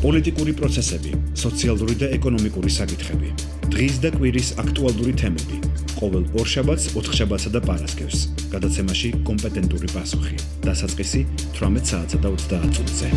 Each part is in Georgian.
პოლიტიკური პროცესები, სოციალური და ეკონომიკური საკითხები. დღის და კვირის აქტუალური თემები. ყოველ ორშაბათს, ოთხშაბათსა და პარასკევს. გადაცემაში კომპეტენტური პასუხი. დასაწყისი 18 საათსა და 30 წუთზე.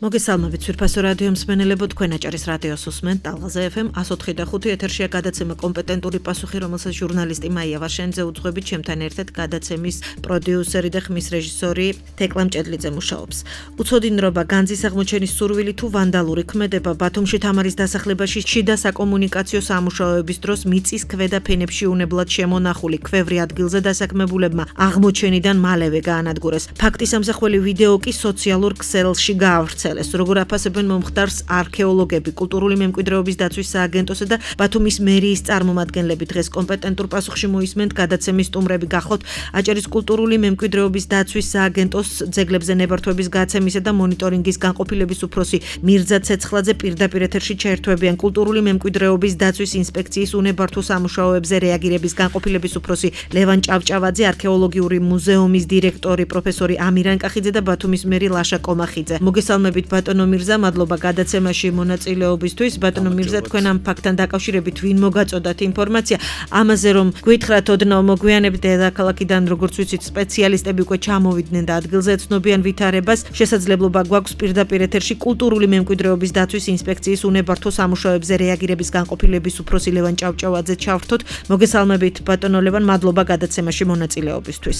მოგესალმებით სვირფასო რადიო მსმენელებო, თქვენ აჭარის რადიოს უსმენთ ტალღაზე FM 104.5 ეთერშია გადაცემა კომპეტენტური პასუხი, რომელსაც ჟურნალისტი მაია ვაშენიძე უძღვებით, ჩემთან ერთად გადაცემის პროდიუსერი და ხმის რეჟისორი თეკლა მჭედლიძე მუშაობს. უცოდინრობა, განძის აღმოჩენის სურვილი თუ ვანდალური ქმედება ბათუმში თამარის დასახლებაში შიდა საკომუნიკაციო სამუშაოების დროს მიწის ქვედა ფენებში უნებლად შემონახული ქვევრი ადგილზე დასაქმებულებმა აღმოჩენიდან მალევე გაანადგურეს. ფაქტის ამსახველი ვიდეო კი სოციალურ ქსელში გაავრცელეს. როგორ აფასებენ მომხდარს არქეოლოგები, კულტურული მემკვიდრეობის დაცვის სააგენტოსა და ბათუმის მერიის წარმომადგენლები. დღეს კომპეტენტურ პასუხში მოისმენთ გადაცემის სტუმრები. გახლავთ აჭარის კულტურული მემკვიდრეობის დაცვის სააგენტოს ძეგლებზე ნებართვების გაცემისა და მონიტორინგის განყოფილების უფროსი მირზა ცეცხლაძე პირდაპირ ეთერში ჩაერთვებიან. კულტურული მემკვიდრეობის დაცვის ინსპექციის უნებართვო სამუშაოებზე რეაგირების განყოფილების უფროსი ლევან ჭავჭავაძე, არქეოლოგიური მუზეუმის დირექტორი პროფესორი ამირან კახიძე და ბათუმის მერი ლაშა კომახიძე. მოგესალმებით ბატონო მირზა, მადლობა გადაცემაში მონაწილეობისთვის. ბატონო მირზა, თქვენ ამ ფაქტთან დაკავშირებით ვინ მოგაწოდათ ინფორმაცია? ამაზე რომ გითხრათ ოდნავ მოგვიანებით დედაქალაქიდან, როგორც ვიცით, სპეციალისტები უკვე ჩამოვიდნენ და ადგილზე ეცნობიან ვითარებას. შესაძლებლობა გვაქვს პირდაპირ ეთერში კულტურული მემკვიდრეობის დაცვის ინსპექციის უნებართვო სამუშაოებზე რეაგირების განყოფილების უფროსი ლევან ჭავჭავაძე ჩავრთოთ. მოგესალმებით ბატონო ლევან, მადლობა გადაცემაში მონაწილეობისთვის.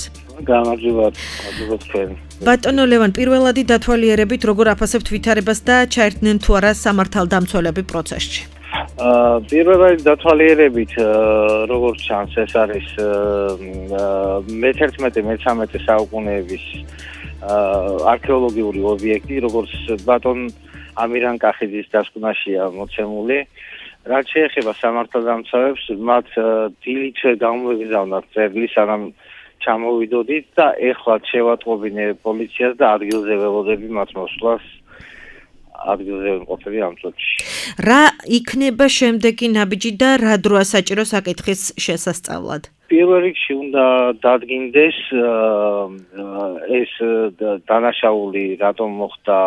გამარჯობა თქვენ. ბატონო ლევან, პირველადი დათვალიერებით როგორ აფასებთ ვითარებას და ჩაერთნენ თუ არა სამართალდამცველები პროცესში? პირველადი დათვალიერებით, როგორც ჩანს, ეს არის მე-11-მე-13 საუკუნეების არქეოლოგიური ობიექტი, როგორც ბატონ ამირან კახიძის დასკვნაშია მოცემული. რაც შეეხება სამართალდამცავებს, მათ დილით გამოვიგზავნათ წერილი, სანამ ჩამოვიდოდით და ეხლა შევატყობინე პოლიციას და ადგილზე ველოდები მათ მოსვლას. ადგილზე ვიმყოფები ამ წუთში. რა იქნება შემდეგი ნაბიჯი და რა დროა საჭირო საკითხის შესასწავლად? პირველ რიგში უნდა დადგინდეს ეს დანაშაული რატომ მოხდა,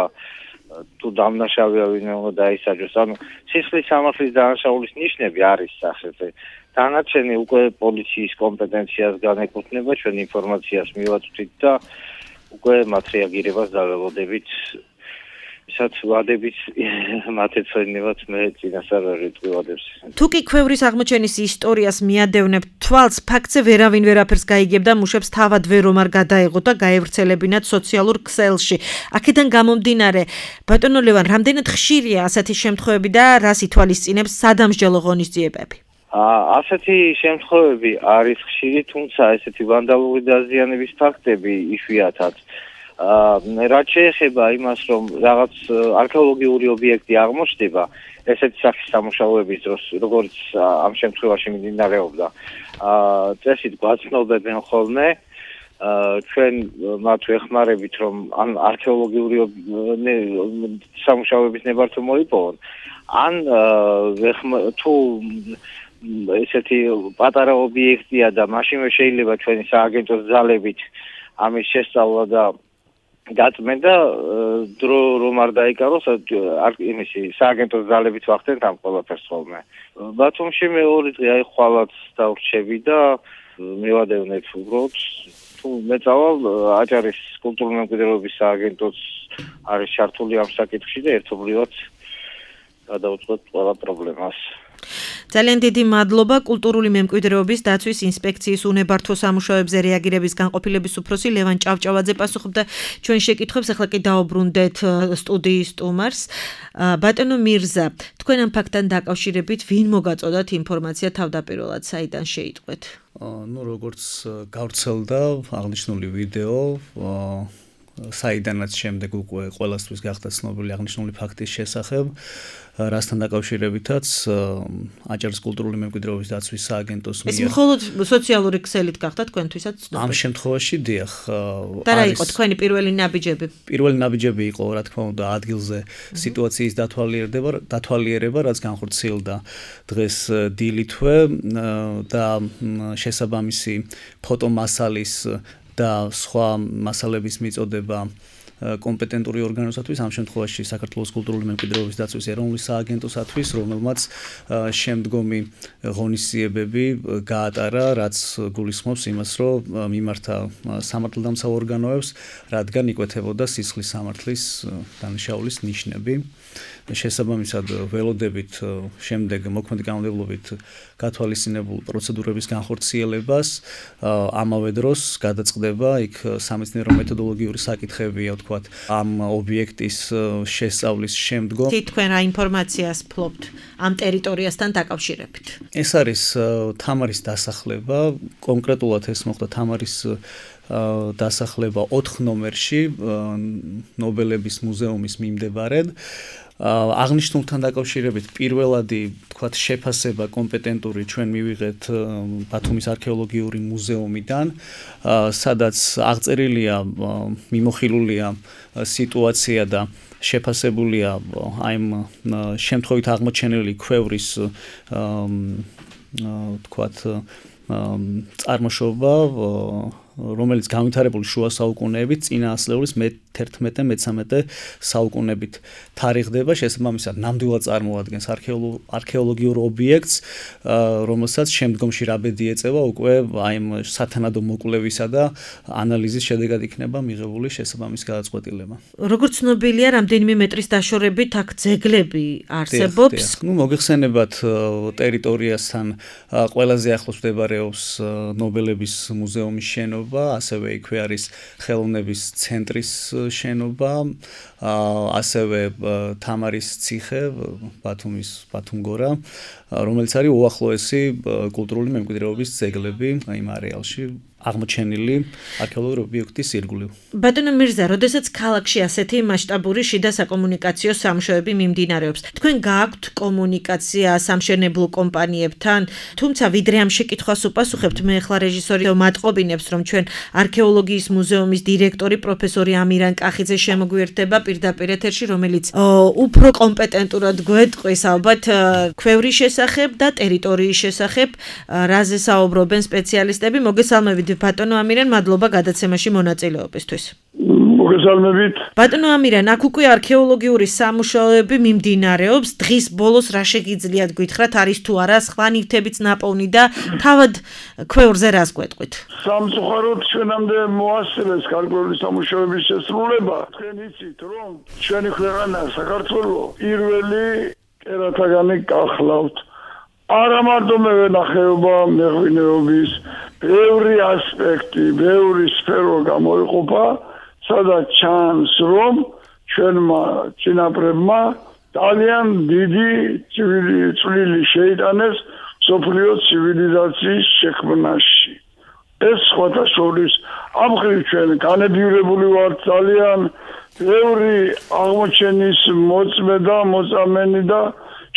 თუ დამნაშავეა ვინმე უნდა დაისაჯოს. ანუ სისხლის სამართლის დანაშაულის ნიშნები არის სახეზე. დანარჩენი უკვე პოლიციის კომპეტენციას განეკუთვნება, ჩვენ ინფორმაციას მივაწვდით და უკვე მათ რეაგირებას დაველოდებით. ისაც ვადებით მათ ეცვენებათ მე წინასწარ რიტყვივადებს. თუ კი ქვევრის აღმოჩენის ისტორიას მიადევნებთ თვალს, ფაქტზე ვერავინ ვერაფერს გაიგებდა, მუშებს თავად ვერ რომ არ გადაეღოთ და გაევრცელებინათ სოციალურ ქსელში. აქედან გამომდინარე, ბატონო ლევან, რამდენად ხშირია ასეთი შემთხვევები და რას ითვალისწინებს სადამსჯელო ღონისძიებები? ასეთი შემთხვევები არის ხშირი, თუმცა ესეთი ვანდალური დაზიანების ფაქტები იშვიათად. რაც შეეხება იმას, რომ რაღაც არქეოლოგიური ობიექტი აღმოჩნდება, ესეთი სახის სამუშაოების დროს, როგორც ამ შემთხვევაში მიმდინარეობდა, წესით გვაცნობებენ ხოლმე, ჩვენ მათ ვეხმარებით, რომ ამ არქეოლოგიური სამუშაოების ნებართვა მოიპოვონ, ან თუ ესეთი პატარა ობიექტია და მაშინვე შეიძლება ჩვენი სააგენტოს ძალებით ამის შესწავლა და გაწმენდა, დრო რომ არ დაიკაროს, იმისი სააგენტოს ძალებით ვახდენთ ამ ყველაფერს ხოლმე. ბათუმში მეორე დღე აი ხვალაც დავრჩები და მივადევნეთ უბრალოდ, თუ მეწავალ აჭარის კულტურული მემკვიდრეობის სააგენტოც არის ჩართული ამ საკითხში და ერთობლივად გადავუწყვეტ ყველა პრობლემას. ძალიან დიდი მადლობა. კულტურული მემკვიდრეობის დაცვის ინსპექციის უნებართვო სამუშაოებზე რეაგირების განყოფილების უფროსი ლევან ჭავჭავაძე პასუხობდა ჩვენ შეკითხვებს. ახლა კი დაუბრუნდეთ სტუდიის სტუმარს. ბატონო მირზა, თქვენ ამ ფაქტთან დაკავშირებით ვინ მოგაწოდათ ინფორმაცია თავდაპირველად, საიდან შეიტყვეთ? როგორც გავრცელდა აღნიშნული ვიდეო, საიდანაც შემდეგ უკვე ყველასთვის გახდა ცნობილი აღნიშნული ფაქტის შესახებ, რასთან დაკავშირებითაც აჭარის კულტურული მემკვიდრეობის დაცვის სააგენტოს ეს მხოლოდ სოციალური ქსელით გახდა თქვენთვისაც ცნობილი. ამ შემთხვევაში დიახ. და რა იყო თქვენი პირველი ნაბიჯები? პირველი ნაბიჯები იყო, რა თქმა უნდა, ადგილზე სიტუაციის დათვალიერება, რაც განხორციელდა დღეს დილითვე და შესაბამისი ფოტომასალის და სხვა მასალების მიწოდება კომპეტენტური ორგანოსათვის, ამ შემთხვევაში საქართველოს კულტურული მემკვიდრეობის დაცვის ეროვნული სააგენტოსათვის, რომელმაც შემდგომი ღონისძიებები გაატარა, რაც გულისხმობს იმას, რომ მიმართა სამართალდამცავ ორგანოებს, რადგან იკვეთებოდა სისხლის სამართლის დანაშაულის ნიშნები. შესაბამისად ველოდებით შემდეგ მოქმედი კანონმდებლობით გათვალისწინებულ პროცედურების განხორციელებას, ამავე დროს გადაწყდება იქ სამეცნიერო მეთოდოლოგიური საკითხებია, ვთქვათ, ამ ობიექტის შესწავლის შემდგომ. თქვენ რა ინფორმაციას ფლობთ ამ ტერიტორიასთან დაკავშირებით? ეს არის თამარის დასახლება, კონკრეტულად ეს მოხდა თამარის დასახლება 4 ნომერში ნობელების მუზეუმის მიმდებარედ. აღნიშნულთან დაკავშირებით პირველადი, თქვათ, შეფასება კომპეტენტური ჩვენ მივიღეთ ბათუმის არქეოლოგიური მუზეუმიდან, სადაც აღწერილია, მიმოხილულია სიტუაცია და შეფასებულია აი ამ შემთხვევით აღმოჩენილი ქვევრის, თქვათ, წარმოშობა, რომელიც განვითარებული შუა საუკუნეებით წინა ასლეულის მე-11-მე-13 საუკუნეებით თარიღდება, შესაბამისად ნამდვილად წარმოადგენს არქეოლოგიურ ობიექტს, რომელსაც შემდგომში რაბედი ეწევა უკვე აი ამ სათანადო მოკვლევისა და ანალიზის შედეგად იქნება მიღებული შესაბამის გადაწყვეტილება. როგორც ცნობილია, რამდენიმე მეტრის დაშორებით აქ ძეგლები არსებობს. მოგეხსენებათ ტერიტორიასთან ყველაზე ახლოს მდებარეობს ნობელების მუზეუმის შენობა, ასევე იქვე არის ხელოვნების ცენტრის შენობა, ასევე თამარის ციხე, ბათუმგორა, რომელიც არის უახლოესი კულტურული მემკვიდრეობის ძეგლები იმ არეალში აღმოჩენილი არქეოლოგიური ობიექტის ირგვლივ. ბატონო მირზა, როდესაც ქალაქში ასეთი მასშტაბური შიდა საკომუნიკაციო სამშვიდობი მიმდინარეობს, თქვენ გააქვთ კომუნიკაცია სამშენებლო კომპანიებთან, თუმცა ვიდრე ამ შეკითხვას უპასუხებთ, მე ახლა რეჟისორი მატყობინებს, რომ ჩვენ არქეოლოგიის მუზეუმის დირექტორი პროფესორი ამირან კახიძე შემოგვიერთდება პირდაპირ ეთერში, რომელიც უფრო კომპეტენტურად გვეტყვის ალბათ ქვევრის შესახებ და ტერიტორიის შესახებ, რაზე საუბრობენ სპეციალისტები. მოგესალმებით ბატონო ამირან, მადლობა გადაცემაში მონაწილეობისთვის. მოგესალმებით. ბატონო ამირან, აქ უკვე არქეოლოგიური სამუშაოები მიმდინარეობს. დღის ბოლოს რა შეგიძლიათ გითხრათ, არის თუ არა სხვა ნივთებიც ნაპოვნი და თავად ქვევრზე რას გვეტყვით? სამწუხაროდ ჩვენამდე მოასწრეს გარკვეული სამუშაოების შესრულება. თქვენ იცით, რომ ჩვენი ქვეყანა საქართველო პირველი კერათაგანი გახლავთ. არა მარტო მევენახეობა, მეღვინეობის, ბევრი ასპექტი, ბევრი სფერო გამოიყოფა, სადაც ჩანს, რომ ჩვენმა წინაპრებმა ძალიან დიდი წვლილი შეიტანეს მსოფლიო ცივილიზაციის შექმნაში. ეს სხვათა შორის ამ მხრივ ჩვენ განედიურებული ვართ ძალიან, ბევრი აღმოჩენის მოწმედა, მოწამენი და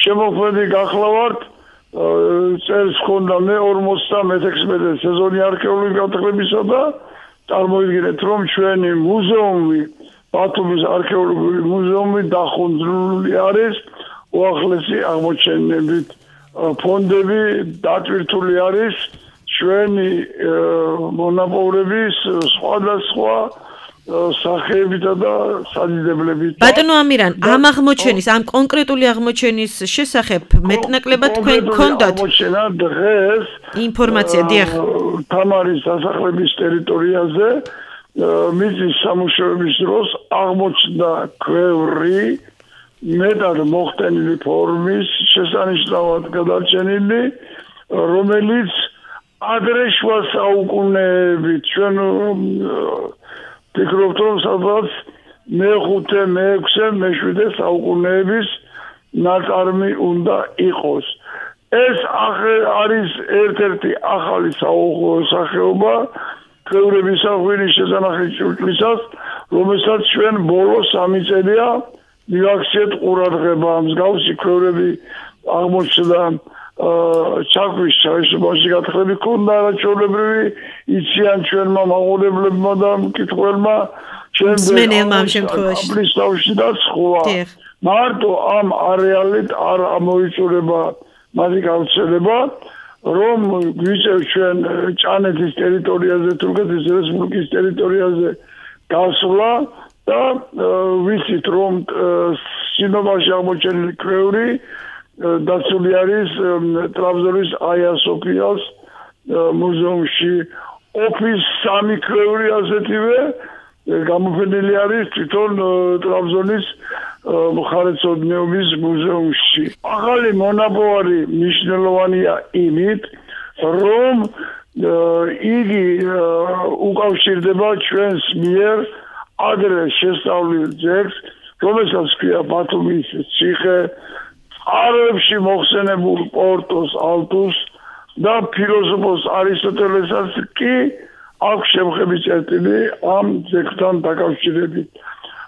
შემოქმედი გახლავართ. წელს ჰქონდა მე-16 სეზონი არქეოლოგიური გათხრებისა და წარმოიდგინეთ, რომ ჩვენი მუზეუმი, ბათუმის არქეოლოგიური მუზეუმი დახუნძრული არის უახლესი აღმოჩენებით. ფონდები დატვირთული არის ჩვენი მონაპოვრების სხვადასხვა სახეებითა და სადიდებლებით. ბატონო ამირან, ამ აღმოჩენის, ამ კონკრეტული აღმოჩენის შესახებ მეტნაკლებად თქვენ გქონდათ აღმოჩენა დღეს ინფორმაცია, დიახ. თამარის დასახლების ტერიტორიაზე მიწის სამუშაოების დროს აღმოჩნდა ქვევრი მეტად მოხდენილი ფორმის, შესანიშნავად გადარჩენილი, რომელიც ადრე შუა საუკუნეებით ჩვენ ფიქრობთ, რომ სადღაც მე-5, მე-6, მე-7 საუკუნეების ნაწარმი უნდა იყოს. ეს არის ერთ-ერთი ახალი სახეობა ქვევრების საღვინის შესანახის ჭურჭლისას, რომელსაც ჩვენ ბოლო 3 წელია მივაქციეთ ყურადღება. მსგავსი ქვევრები აღმოჩნდა ჩაქვის შაიშობაში გათხრები ქონდა არაჩვეულებრივი, იციან ჩვენმა მაყურებლებმა და მკითხველმა, მსმენელმა ამ შემთხვევაში. აბლისთავში და სხვა. მარტო ამ არეალით არ ამოიწურება მათი გავრცელება, რომ გვიწევს ჩვენ ჭანეთის ტერიტორიაზე, თურქეთის რესპუბლიკის ტერიტორიაზე გასვლა და ვიცით რომ შინობაში აღმოჩენილი ქვევრი დაცული არის ტრაბზონის აია სოფიას მუზეუმში ოფის 3 ქვევრი ასეთივე გამოფენილი არის თვითონ ტრაბზონის მხარეთმცოდნეობის მუზეუმში. ახალი მონაპოვარი მნიშვნელოვანია იმით, რომ იგი უკავშირდება ჩვენს მიერ ადრე შესწავლილ ძეგლს, რომელსაც ქვია ბათუმის ციხე, წყაროებში მოხსენებულ პორტოს ალტუს და ფილოსოფოს არისტოტელესაც კი აქვს შემხები წერტილი ამ ძეგლთან დაკავშირებით.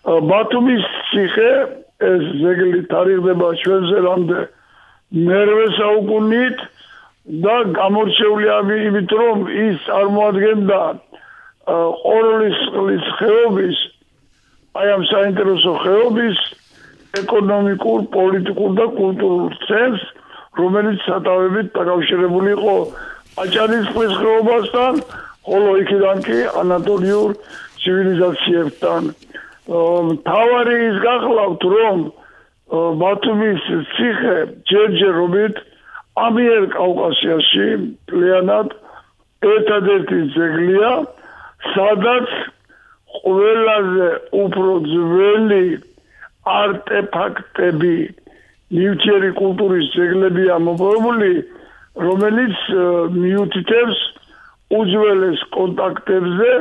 ბათუმის ციხე ეს ძეგლი თარიღდება ჩვენზევამდე მერვე საუკუნით და გამორჩეულია იმით, რომ ის წარმოადგენდა ყოროლის წყლის ხეობის, აი ამ საინტერესო ხეობის ეკონომიკურ, პოლიტიკურ და კულტურულ ცენტრს, რომელიც სათავებით დაკავშირებული იყო აჭარის წყლის ხეობასთან, ხოლო იქიდან კი ანატოლიურ ცივილიზაციებთან. თავარი ის გახლავთ, რომ ბათუმის ციხე ჯერჯერობით ამიერ კავკასიაში მთლიანად ერთადერთი ძეგლია, სადაც ყველაზე უფრო ძველი არტეფაქტები ნივთიერი კულტურის ძეგლებია მოპოვებული, რომელიც მიუთითებს უძველეს კონტაქტებზე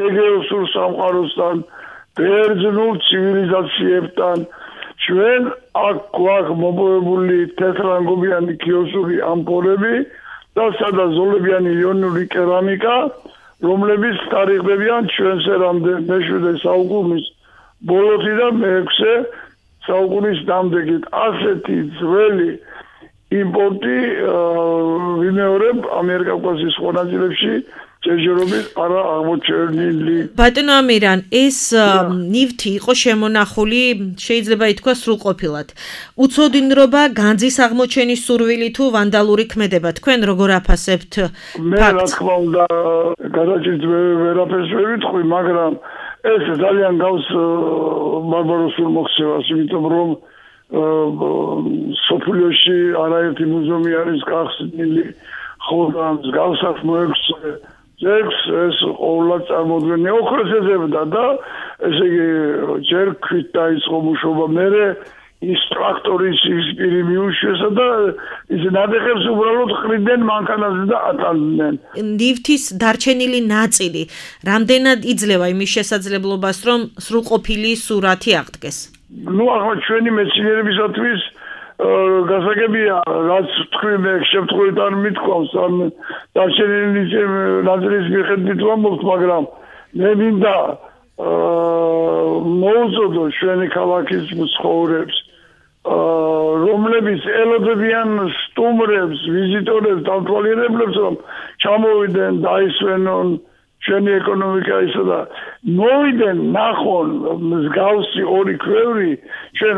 ეგეოსურ სამყაროსთან, ბერძნულ ცივილიზაციებთან. ჩვენ აქ გვაქვს მოპოვებული თეთრანგობიანი ქიოსური ამფორები და სადაზოლებიანი იონური კერამიკა, რომლებიც თარიღდებიან ჩვენსერამდე მე-7 საუკუნის ბოლოსიდან მე-6 საუკუნის დამდეგით. ასეთი ძველი იმპორტი ვიმეორებ ამიერკავკასიის სხვა ნაწილებში ჯერჯერობით არა აღმოჩენილი. ბატონო ამირან, ეს ნივთი იყო შემონახული, შეიძლება ითქვა სრულყოფილად. უცოდინრობა, განძის აღმოჩენის სურვილი თუ ვანდალური ქმედება, თქვენ როგორ აფასებთ? მე რა თქმა უნდა, გადაჭირთ ვერაფერს ვერ ვიტყვი, მაგრამ ეს ძალიან გავს ბარბაროსულ მოქცევას, იმიტომ რომ სოფლიოში არაერთი მუზეუმი არის გახსნილი, ხოლო მსგავსად მოექვსე ძეგლს ეს ყოველად წარმოადგენდა ოქროს ეძებდა და ესე იგი ჯერ ქვით დაიწყო მუშაობა, მერე ის ტრაქტორის ის პირი მიუშვესა და ის ნადეხებს უბრალოდ ხრიდნენ მანქანაზე და ატანდნენ. ნივთის დარჩენილი ნაწილი რამდენად იძლევა იმის შესაძლებლობას, რომ სრულყოფილი სურათი აღდგეს? ნუ ახლა ჩვენი მეცნიერებისათვის გასაგებია, რაც თქვი მე შემთხვევით არ მithქვავს ამ დარჩენილი ნაწილის მიხედვით ვამბობთ, მაგრამ მე მინდა მოუწოდო ჩვენი ქალაქის მცხოვრებს, რომლებიც ელოდებიან სტუმრებს, ვიზიტორებს, დამთვალიერებლებს, რომ ჩამოვიდნენ, დაისვენონ ჩვენი ეკონომიკა ისო და მოვიდნენ ნახონ მსგავსი ორი ქვევრი ჩვენ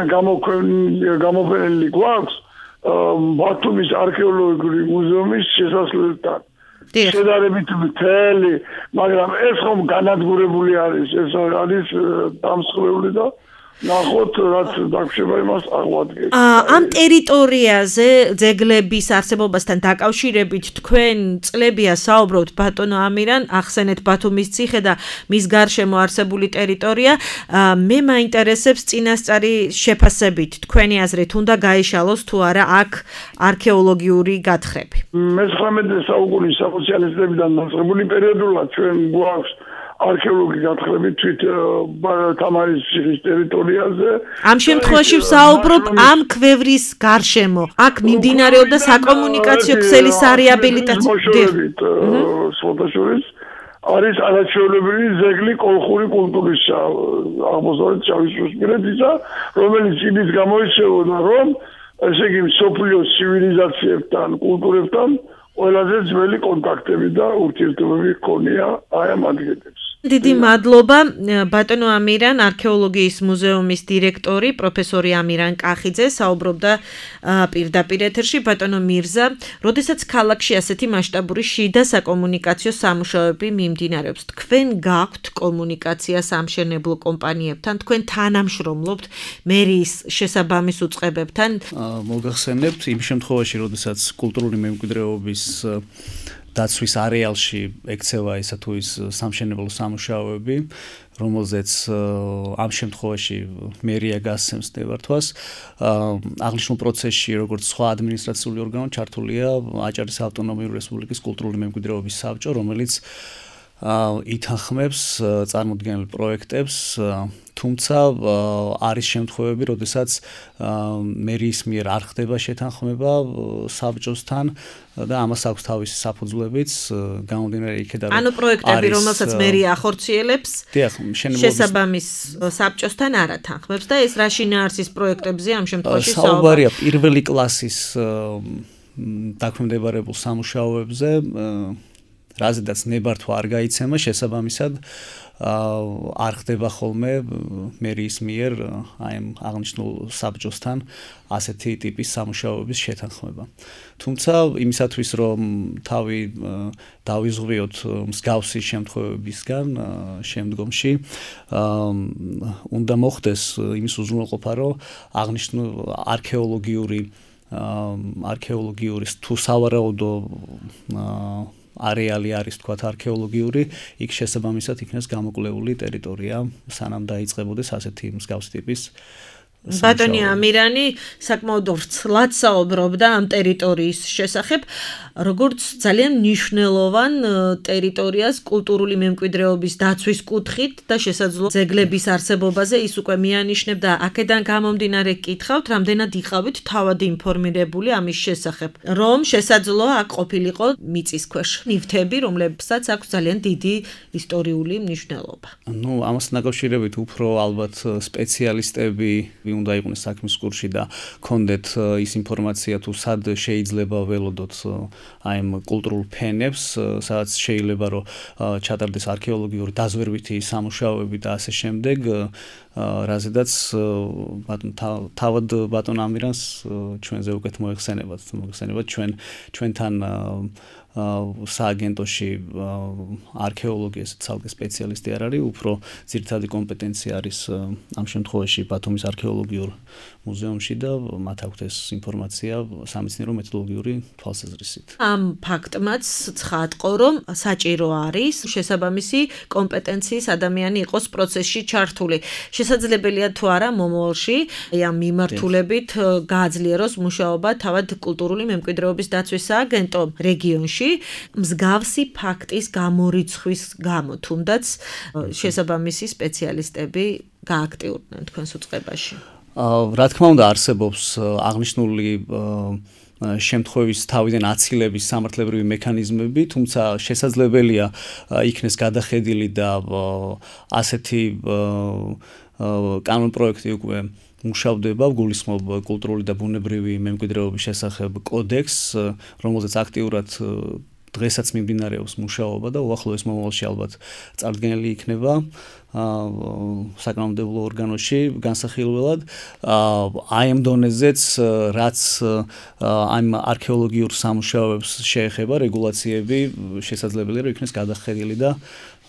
გამოფენილი გვაქვს ბათუმის არქეოლოგიური მუზეუმის შესასვლელთან. შედარებით მთელი, მაგრამ ეს ხომ განადგურებული არის, ეს არის დამსხვრეული და ნახოთ რაც დაგვრჩება იმას აღვადგეთ. ამ ტერიტორიაზე ძეგლების არსებობასთან დაკავშირებით თქვენ წლებია საუბრობთ ბატონო ამირან, ახსენეთ ბათუმის ციხე და მის გარშემო არსებული ტერიტორია. მე მაინტერესებს წინასწარი შეფასებით თქვენი აზრით უნდა გაიშალოს თუ არა აქ არქეოლოგიური გათხრები. მე-19 საუკუნის სოციალისტებიდან დაწყებული პერიოდულად ჩვენ გვაქვს არქეოლოგი გათხრები თვით თამარის ციხის ტერიტორიაზე. ამ შემთხვევაში ვსაუბრობ ამ ქვევრის გარშემო. აქ მიმდინარეობდა საკომუნიკაციო ქსელის რეაბილიტაცია. სოთაშორის არის არაჩვეულებრივი ძეგლი კოლხური კულტურის აღმოსავლეთ შავიზღვისპირეთისა, რომელიც იმით გამოირჩეოდა, რომ ესე იგი მსოფლიოს ცივილიზაციებთან, კულტურებთან ყველაზე ძველი კონტაქტები და ურთიერთობები ჰქონია აი ამ ადგილებს. დიდი მადლობა ბატონო ამირან, არქეოლოგიის მუზეუმის დირექტორი, პროფესორი ამირან კახიძე საუბრობდა პირდაპირ ეთერში. ბატონო მირზა, როდესაც ქალაქში ასეთი მასშტაბური შიდა საკომუნიკაციო სამუშაოები მიმდინარეობს, თქვენ გაქვთ კომუნიკაცია სამშენებლო კომპანიებთან, თქვენ თანამშრომლობთ მერიის შესაბამის უწყებებთან? მოგახსენებთ, იმ შემთხვევაში, როდესაც კულტურული მემკვიდრეობის დაცვის არეალში ექცევა ისა თუ ის სამშენებლო სამუშაოები, რომელზეც ამ შემთხვევაში მერია გასცემს ნებართვას, აღნიშნულ პროცესში, როგორც სხვა ადმინისტრაციული ორგანო, ჩართულია აჭარის ავტონომიური რესპუბლიკის კულტურული მემკვიდრეობის საბჭო, რომელიც ითანხმებს წარმოდგენილ პროექტებს, თუმცა არის შემთხვევები, როდესაც მერიის მიერ არ ხდება შეთანხმება საბჭოსთან და ამას აქვს თავისი საფუძვლებიც, გამომდინარე იქედან. ანუ პროექტები, რომელსაც მერია ახორციელებს, შესაბამის საბჭოსთან არ ათანხმებს და ეს რა შინაარსის პროექტებზე ამ შემთხვევაში საუბარია პირველი კლასის დაქვემდებარებულ სამუშაოებზე, რაზედაც ნებართვა არ გაიცემა, შესაბამისად არ ხდება ხოლმე მერიის მიერ აი ამ აღნიშნულ საბჭოსთან ასეთი ტიპის სამუშაოების შეთანხმება. თუმცა იმისათვის რომ თავი დავიზღვიოთ მსგავსი შემთხვევებისგან შემდგომში უნდა მოხდეს იმის უზრუნველყოფა, რომ აღნიშნულ არქეოლოგიური თუ სავარაუდო არეალი არის თქვათ არქეოლოგიური, იქ შესაბამისად იქნეს გამოკვლეული ტერიტორია, სანამ დაიწყებოდეს ასეთი მსგავსი ტიპის ბატონი ამირანი საკმაოდ ვრცლად საუბრობდა ამ ტერიტორიის შესახებ, როგორც ძალიან მნიშვნელოვან ტერიტორიას კულტურული მემკვიდრეობის დაცვის კუთხით და შესაძლო ძეგლების არსებობაზე ის უკვე მიანიშნებდა. აქედან გამომდინარე გკითხავთ, რამდენად იყავით თავად ინფორმირებული ამის შესახებ, რომ შესაძლოა აქ ყოფილიყო მიწისქვეშ ნივთები, რომლებსაც აქვს ძალიან დიდი ისტორიული მნიშვნელობა. ნუ ამასთან დაკავშირებით უფრო ალბათ სპეციალისტები უნდა იყვნენ საქმის კურსში და ქონდეთ ის ინფორმაცია თუ სად შეიძლება ველოდოთ აი ამ კულტურულ ფენებს, სადაც შეიძლება რომ ჩატარდეს არქეოლოგიური დაზვერვითი სამუშაოები და ასე შემდეგ, რაზედაც თავად ბატონ ამირანს ჩვენზე უკეთ მოეხსენებათ ჩვენთან სააგენტოში არქეოლოგიის ცალკე სპეციალისტი არ არის, უფრო ძირითადი კომპეტენცია არის ამ შემთხვევაში ბათუმის არქეოლოგიურ მუზეუმში და მათ აქვთ ეს ინფორმაცია სამეცნიერო მეთოდოლოგიური თვალსაზრისით. ამ ფაქტმაც ცხადყო, რომ საჭირო არის შესაბამისი კომპეტენციის ადამიანი იყოს პროცესში ჩართული. შესაძლებელია თუ არა მომავალში ამ მიმართულებით გააძლიეროს მუშაობა თავად კულტურული მემკვიდრეობის დაცვის სააგენტომ რეგიონში მსგავსი ფაქტის გამორიცხვის გამო, თუნდაც შესაბამისი სპეციალისტები გააქტიურდნენ თქვენს უწყებაში. რა თქმა უნდა არსებობს აღნიშნული შემთხვევის თავიდან აცილების სამართლებრივი მექანიზმები, თუმცა შესაძლებელია იქნეს გადახედილი და ასეთი კანონპროექტი უკვე მუშავდება, გულისხმობ კულტურული და ბუნებრივი მემკვიდრეობის შესახებ კოდექსს, რომელზეც აქტიურად დღესაც მიმდინარეობს მუშაობა და უახლოეს მომავალში ალბათ წარდგენილი იქნება საკანონმდებლო ორგანოში განსახილველად. აი ამ დონეზეც რაც ამ არქეოლოგიურ სამუშაოებს შეეხება რეგულაციები შესაძლებელია რომ იქნეს გადახედილი და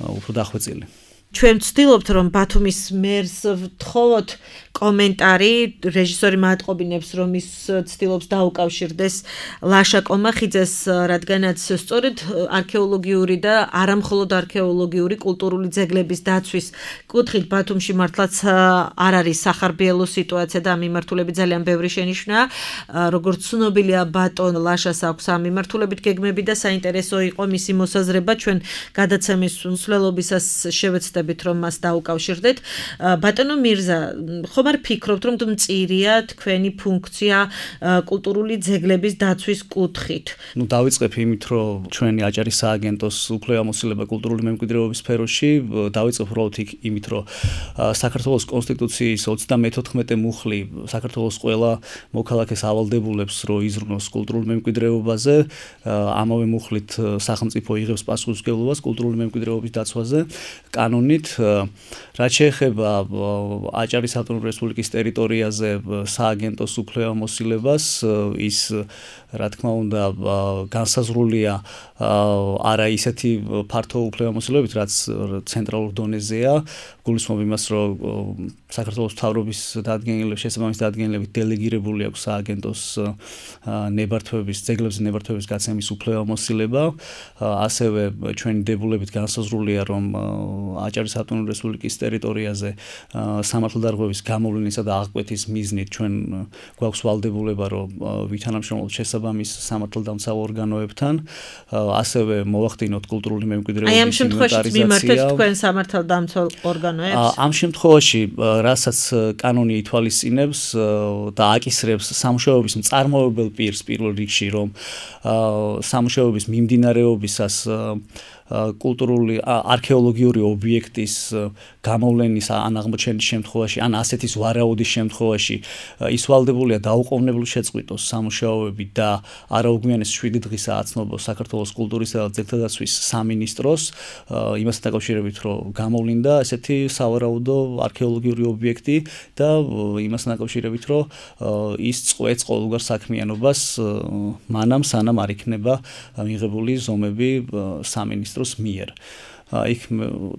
უფრო დახვეწილი. ჩვენ ვცდილობთ რომ ბათუმის მერს ვთხოვოთ კომენტარი, რეჟისორი მატყობინებს რომ ის ცდილობს დაუკავშირდეს ლაშა კომახიძეს, რადგანაც სწორედ არქეოლოგიური და არამხოლოდ არქეოლოგიური კულტურული ძეგლების დაცვის კუთხით ბათუმში მართლაც არ არის სახარბიელო სიტუაცია და ამ მიმართულებით ძალიან ბევრი შენიშვნაა. როგორც ცნობილია ბატონ ლაშას აქვს ამ მიმართულებით გეგმები და საინტერესო იყო მისი მოსაზრება ჩვენ გადაცემის მსვლელობისას შევეცდებით გახსოვდებით, რომ მას დაუკავშირდეთ. ბატონო მირზა, ხომ არ ფიქრობთ, რომ მწირია თქვენი ფუნქცია კულტურული ძეგლების დაცვის კუთხით? დავიწყებ იმით, რომ ჩვენი აჭარის სააგენტოს უფლებამოსილება კულტურული მემკვიდრეობის სფეროში დავიწყებ უბრალოდ იმით, რომ საქართველოს კონსტიტუციის 34 მუხლი საქართველოს ყველა მოქალაქეს ავალდებულებს, რომ იზრუნოს კულტურულ მემკვიდრეობაზე, ამავე მუხლით სახელმწიფო იღებს პასუხისმგებლობას კულტურული მემკვიდრეობის დაცვაზე კანონით. რაც შეეხება აჭარის ავტონომიური რესპუბლიკის ტერიტორიაზე სააგენტოს უფლებამოსილებას, ის რა თქმა უნდა განსაზღვრულია არა ისეთი ფართო უფლებამოსილებით, რაც ცენტრალურ დონეზეა, გულისხმობ იმას, რომ საქართველოს მთავრობის შესაბამის დადგენილებით დელეგირებული აქვს სააგენტოს ძეგლებზე ნებართვების გაცემის უფლებამოსილება. ასევე ჩვენი დებულებით განსაზღვრულია, რომ აჭარის ავტონომიური რესპუბლიკის ტერიტორიაზე სამართალდარღვევის გამოვლენისა და აღკვეთის მიზნით ჩვენ გვაქვს ვალდებულება, რომ ვითანამშრომლოთ შესაბამის სამართალდამცავ ორგანოებთან, ასევე მოვახდინოთ კულტურული მემკვიდრეობის აი ამ შემთხვევაში მიმართეთ თქვენ სამართალდამცავ ორგანოებს? ამ შემთხვევაში, რასაც კანონი ითვალისწინებს და აკისრებს სამუშაოების მწარმოებელ პირს პირველ რიგში, რომ სამუშაოების მიმდინარეობისას კულტურული არქეოლოგიური ობიექტის გამოვლენის ან აღმოჩენის შემთხვევაში, ან ასეთის ვარაუდის შემთხვევაში ის ვალდებულია დაუყოვნებლივ შეწყვიტოს სამუშაოები და არაუგვიანეს 7 დღისა აცნობოს საქართველოს კულტურისა და ძეგლთა დაცვის სამინისტროს, იმასთან დაკავშირებით, რომ გამოვლინდა ესეთი სავარაუდო არქეოლოგიური ობიექტი და იმასთან დაკავშირებით, რომ ის წყვეტს ყოველგვარ საქმიანობას მანამ სანამ არ იქნება მიღებული ზომები სამინისტროს მიერ. იქ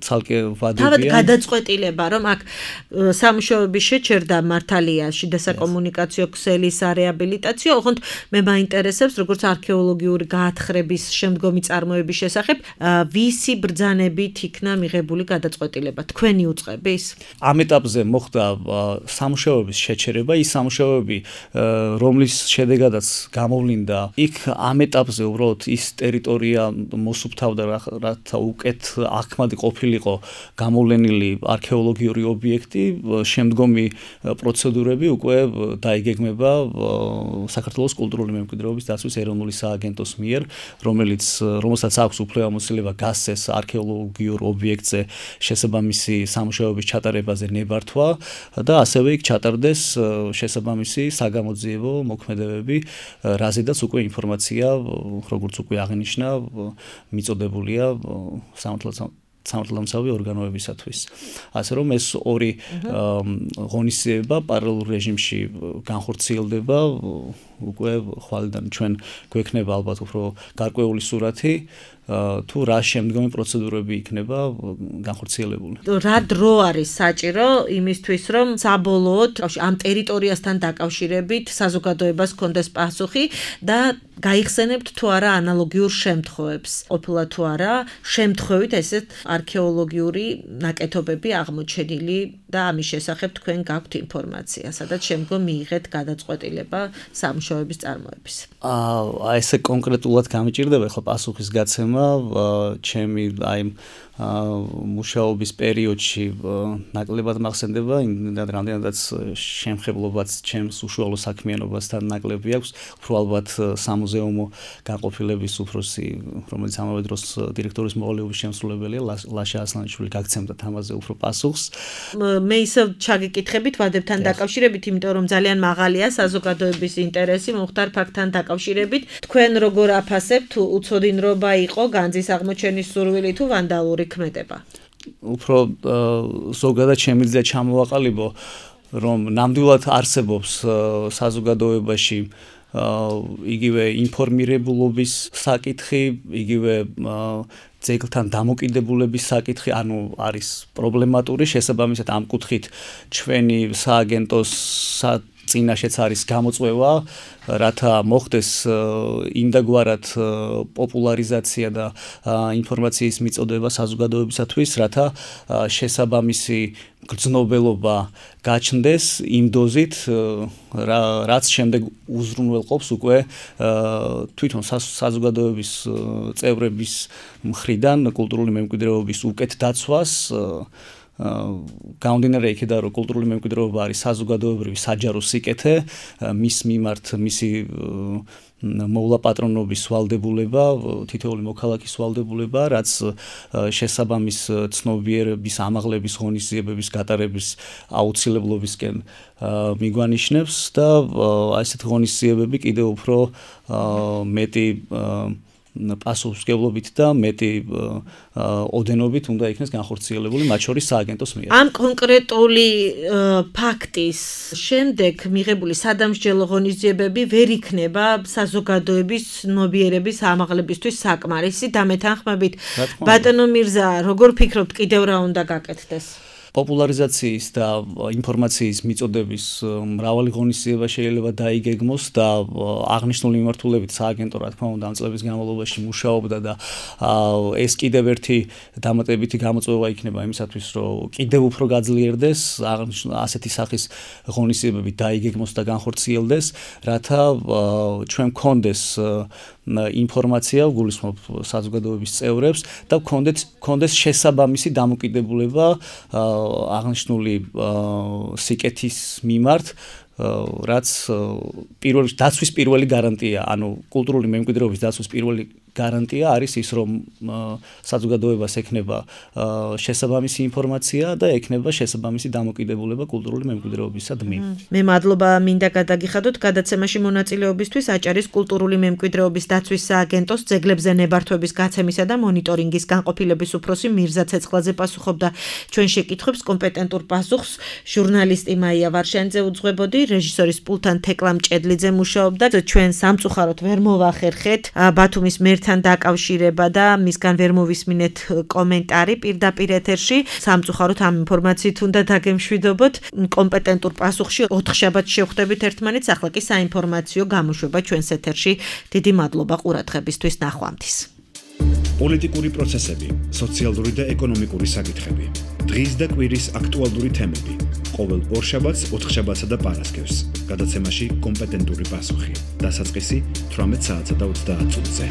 ცალკე ვადებია. თავად გადაწყვეტილება, რომ აქ სამუშაოების შეჩერდა მართალია შიდა საკომუნიკაციო ქსელისარეაბილიტაციო, ოღონდ მე მაინტერესებს, როგორც არქეოლოგიური გაათხრების შემდგომი წარმოების შესახებ, ვისი ბრძანებით იქნა მიღებული გადაწყვეტილება? თქვენი უწყების? ამ ეტაპზე მოხდა სამუშაოების შეჩერება, ის სამუშაოები, რომლის შედეგადაც გამოვლინდა, იქ ამ ეტაპზე უბრალოდ ის ტერიტორია მოსუფთავდა, რათა უკეთ ახმადი ყოფილიყო გამოვლენილი არქეოლოგიური ობიექტი, შემდგომი პროცედურები უკვე დაიგეგმება საქართველოს კულტურული მემკვიდრეობის დაცვის ეროვნული სააგენტოს მიერ, რომელსაც აქვს უფლებამოსილება გასცეს არქეოლოგიურ ობიექტზე შესაბამისი სამუშაოების ჩატარებაზე ნებართვა და ასევე იქ ჩატარდეს შესაბამისი საგამოძიებო მოქმედებები, რაზედაც უკვე ინფორმაცია, როგორც უკვე აღნიშნა, მიწოდებულია სამართალდამცავი ორგანოებისათვის. ასე რომ ეს ორი ღონისძიება პარალელურ რეჟიმში განხორციელდება, უკვე ხვალიდან ჩვენ გვექნება ალბათ უფრო გარკვეული სურათი, თუ რა შემდგომი პროცედურები იქნება განხორციელებული. რა დრო არის საჭირო იმისთვის, რომ საბოლოოდ ამ ტერიტორიასთან დაკავშირებით საზოგადოებას ჰქონდეს პასუხი და გაიხსენებთ თუ არა ანალოგიურ შემთხვევებს, ყოფილა თუ არა შემთხვევით ესეთ არქეოლოგიური ნაკეთობები აღმოჩენილი და ამის შესახებ თქვენ გაქვთ ინფორმაცია, სადაც შემდგომ მიიღეთ გადაწყვეტილება სამუშაოების წარმოების. ესე კონკრეტულად გამიჭირდება ხო პასუხის გაცემა, ჩემი აი მუშაობის პერიოდში ნაკლებად მახსენდება, რამდენადაც შემხებლობაც ჩემს უშუალო საქმიანობასთან ნაკლები აქვს, უფრო ალბათ სამუზეუმო განყოფილების უფროსი, რომელიც ამავე დროს დირექტორის მოვალეობის შემსრულებელია, ლაშა ასლანიშვილი გაგცემდა თამაზე უფრო პასუხს. მე ისევ ჩაგიკითხებით ვადებთან დაკავშირებით, იმიტომ რომ ძალიან მაღალია საზოგადოების ინტერესი მომხდარ ფაქტთან დაკავშირებით. თქვენ როგორ აფასებთ, თუ უცოდინრობა იყო განძის აღმოჩენის სურვილი თუ ვანდალური ქმედება? უფრო ზოგადად შემიძლია ჩამოვაყალიბო, რომ ნამდვილად არსებობს საზოგადოებაში იგივე ინფორმირებულობის საკითხი, იგივე ძეგლთან დამოკიდებულების საკითხი, ანუ არის პრობლემატური, შესაბამისად ამ კუთხით ჩვენი სააგენტოს წინაშეც არის გამოწვევა, რათა მოხდეს იმდაგვარად პოპულარიზაცია და ინფორმაციის მიწოდება საზოგადოებისათვის, რათა შესაბამისი გრძნობელობა გაჩნდეს იმ დოზით, რაც შემდეგ უზრუნველყოფს უკვე თვითონ საზოგადოების წევრების მხრიდან კულტურული მემკვიდრეობის უკეთ დაცვას, გამომდინარე იქიდან, რომ კულტურული მემკვიდრეობა არის საზოგადოებრივი საჯარო სიკეთე, მის მიმართ მისი მოვლა პატრონობის ვალდებულება, თითოეული მოქალაქის ვალდებულება, რაც შესაბამის ცნობიერების, ამაღლების, ღონისძიებების გატარების აუცილებლობისკენ მიგვანიშნებს და ასეთ ღონისძიებები კიდევ უფრო მეტი პასუხისმგებლობით და მეტი ოდენობით უნდა იქნეს განხორციელებული მათ შორის სააგენტოს მიერ. ამ კონკრეტული ფაქტის შემდეგ მიღებული სადამსჯელო ღონისძიებები ვერ იქნება საზოგადოების ცნობიერების ამაღლებისთვის საკმარისი და მეთანხმებით ბატონო მირზა, როგორ ფიქრობთ, კიდევ რა უნდა გაკეთდეს? პოპულარიზაციის და ინფორმაციის მიწოდების მრავალი ღონისძიება შეიძლება დაიგეგმოს და აღნიშნული მიმართულებით სააგენტო რა თქმა უნდა ამ წლების განმავლობაში მუშაობდა და ეს კიდევ ერთი დამატებითი გამოწვევა იქნება იმისათვის, რომ კიდევ უფრო გაძლიერდეს ასეთი სახის ღონისძიებები დაიგეგმოს და განხორციელდეს, რათა ჩვენ გქონდეს ინფორმაცია, გულისხმობ საზოგადოების წევრებს და გქონდეს შესაბამისი დამოკიდებულება აღნიშნული სიკეთის მიმართ, რაც დაცვის პირველი გარანტია, ანუ კულტურული მემკვიდრეობის დაცვის პირველი გარანტია არის ის, რომ საზოგადოებას ექნება შესაბამისი ინფორმაცია და ექნება შესაბამისი დამოკიდებულება კულტურული მემკვიდრეობისადმი. მე მადლობა მინდა გადაგიხადოთ გადაცემაში მონაწილეობისთვის აჭარის კულტურული მემკვიდრეობის დაცვის სააგენტოს ძეგლებზე ნებართვების გაცემისა და მონიტორინგის განყოფილების უფროსი მირზა ცეცხლაძე პასუხობდა ჩვენ შეკითხვებს, კომპეტენტურ პასუხს ჟურნალისტი მაია ვარშანიძე უძღვებოდი, რეჟისორის პულთან თეკლა მჭედლიძე მუშაობდა. ჩვენ სამწუხაროდ ვერ მოვახერხეთ ბათუმის თან დაკავშირება და მისგან ვერ მოვისმინეთ კომენტარი პირდაპირ ეთერში. სამწუხაროდ ამ ინფორმაციით უნდა დაგემშვიდობოთ. კომპეტენტურ პასუხში 4 შაბათს შევხვდებით ერთმანეთს, ახლა კი საინფორმაციო გამოშვება ჩვენს ეთერში. დიდი მადლობა ყურადღებისთვის, ნახვამდის. პოლიტიკური პროცესები, სოციალური და ეკონომიკური საკითხები, დღის და კვირის აქტუალური თემები. ყოველ ორშაბათს, ოთხშაბათსა და პარასკევს. გადაცემაში კომპეტენტური პასუხი. დასაწყისი 18 საათსა და 30 წუთზე.